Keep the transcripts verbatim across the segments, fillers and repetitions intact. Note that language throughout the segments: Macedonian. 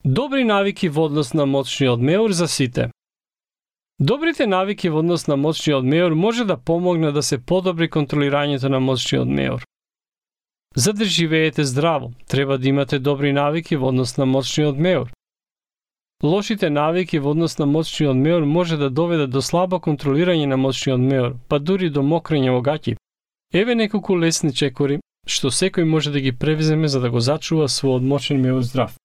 Добри навики во однос на моćниот меур за сите. Добрите навики во однос на моćниот меур може да помогне да се подобри контролирањето на моćниот меур. За да живеете здраво, треба да имате добри навики во однос на моćниот меур. Лошите навики во однос на моćниот меур може да доведат до слабо контролирање на моćниот меур, па дури до мокрење во гаќи. Еве неколку лесни чекори што секој може да ги превземе за да го зачува својот моćен меур здрав.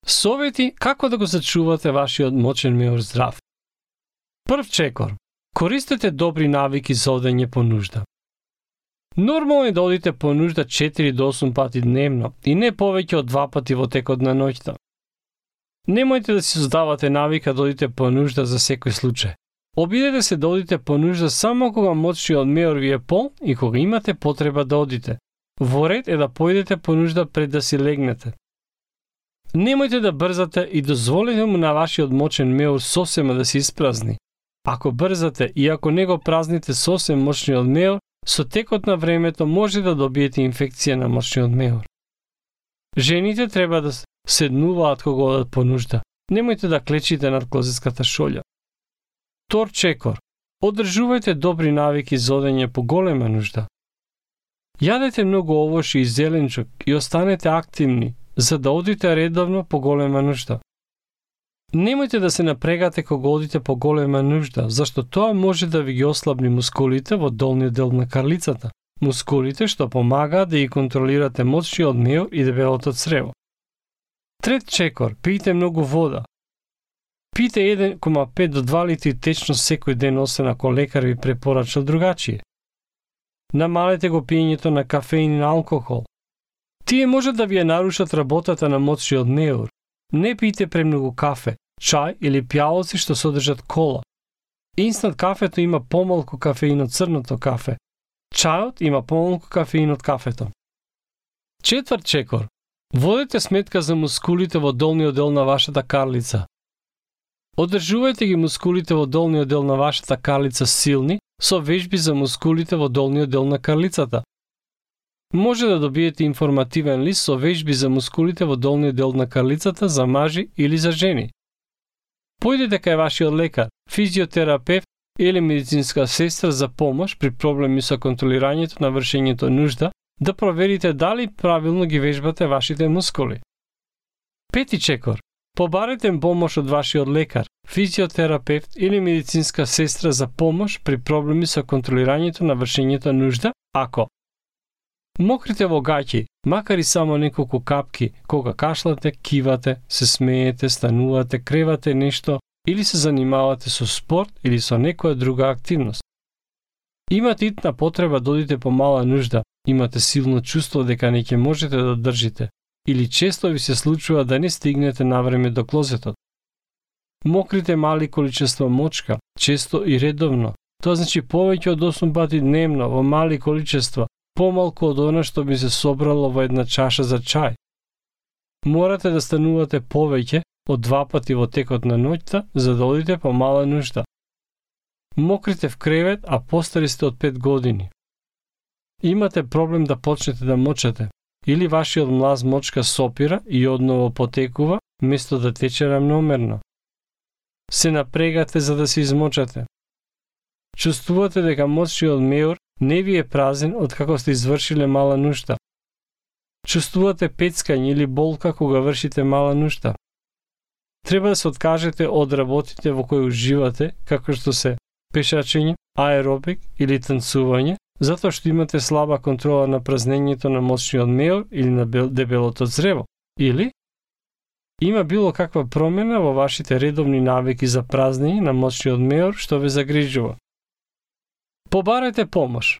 Совети како да го зачувате вашиот моćен меур здрав. Прв чекор. Користете добри навики за одење по нужда. Нормално е да одите по нужда четири до осум пати дневно и не повеќе од два пати во текот на ноќта. Немојте да си создавате навика да одите по нужда за секој случај. Обидете се да одите по нужда само кога моćниот меур ви е полн и кога имате потреба да одите. Во ред е да поидете по нужда пред да си легнете. Немојте да брзате и дозволете му на вашиот моćен меур сосема да се испразни. Ако брзате и ако не го празните сосем моćниот меур, со текот на времето може да добиете инфекција на моćниот меур. Жените треба да седнуваат кога одат по нужда. Немојте да клечите над клозетската шолја. Втор чекор. Одржувајте добри навики за одење по голема нужда. Јадете многу овошје и зеленчук и останете активни, за да одите редовно по голема нужда. Немојте да се напрегате кога одите по голема нужда, зашто тоа може да ви ги ослабни мускулите во долниот дел на карлицата, мускулите што помагаат да ги контролирате моćниот меур и дебелото црево. Трет чекор, пијте многу вода. Пијте еден кoma пет до два литри течно секој ден, освен ако лекар ви препорачал другачие. Намалете го пиењето на кафеин и на алкохол. Тие може да ви ја нарушат работата на моćниот меур. Не пијте премногу кафе, чај или пјалоци што содржат кола. Инстант кафето има помалку кафеин од црното кафе. Чајот има помалку кафеин од кафето. Четврт чекор. Водете сметка за мускулите во долниот дел на вашата карлица. Одржувајте ги мускулите во долниот дел на вашата карлица силни со вежби за мускулите во долниот дел на карлицата. Може да добиете информативен лист со вежби за мускулите во долниот дел на карлицата за мажи или за жени. Појдете кај вашиот лекар, физиотерапевт или медицинска сестра за помош при проблеми со контролирањето на вршењето нужда, да проверите дали правилно ги вежбате вашите мускули. Пети чекор. Побарете помош од вашиот лекар, физиотерапевт или медицинска сестра за помош при проблеми со контролирањето на вршењето нужда, ако мокрите во гаќи, макар и само неколку капки, кога кашлате, кивате, се смеете, станувате, кревате нешто или се занимавате со спорт или со некоја друга активност. Имате итна потреба да одите по мала нужда, имате силно чувство дека не ќе можете да држите, или често ви се случува да не стигнете навреме до клозетот. Мокрите мали количества мочка, често и редовно, тоа значи повеќе од осум пати дневно во мали количества, помалку од она што би се собрало во една чаша за чај. Морате да станувате повеќе од два пати во текот на ноќта за да одите по мала нужда. Мокрите в кревет, а постари сте од пет години. Имате проблем да почнете да мочате, или вашиот млаз мочка сопира и одново потекува, место да тече рамномерно. Се напрегате за да се измочате. Чувствувате дека моćниот меур не ви е празен од како сте извршиле мала нужда. Чувствувате пецкање или болка кога вршите мала нужда. Треба да се откажете од работите во кои уживате, како што се пешачење, аеробик или танцување, затоа што имате слаба контрола на празнењето на моćниот меур или на дебелото црево, или има било каква промена во вашите редовни навики за празнење на моćниот меур што ве загрижува. Побарете помош.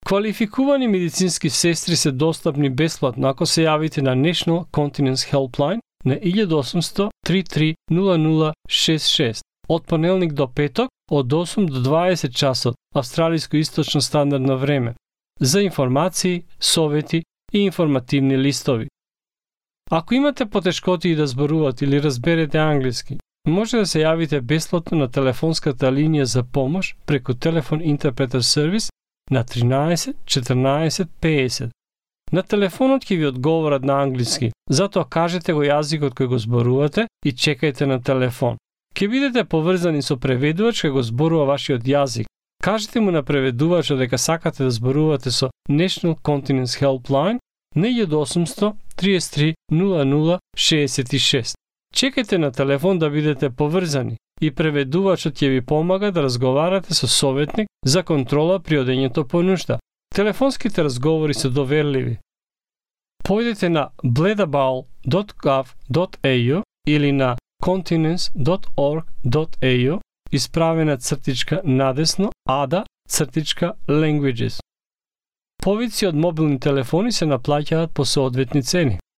Квалификувани медицински сестри се достапни бесплатно ако се јавите на National Continence Helpline на еден осумсто три три нула нула шест шест од понеделник до петок од осум до дваесет часот австралиско источно стандардно време за информации, совети и информативни листови. Ако имате потешкоти да зборувате или разберете англиски, може да се јавите бесплатно на телефонската линија за помош преку телефон интерпретер сервис на тринаесет четрнаесет педесет. На телефонот ќе ви одговорат на англиски, затоа кажете го јазикот кој го зборувате и чекајте на телефон. Ќе бидете поврзани со преведувач кој го зборува вашиот јазик. Кажете му на преведувачот дека сакате да зборувате со National Continence Helpline на еден осумсто триесет три нула нула шеесет и шест. Чекајте на телефон да бидете поврзани и преведувачот ќе ви помага да разговарате со советник за контрола при одењето по нушта. Телефонските разговори се доверливи. Појдете на bledabowl dot gov dot a u или на continence dot org dot a u, исправена цртичка надесно ада цртичка languages. Повици од мобилни телефони се наплаќаат по соодветни цени.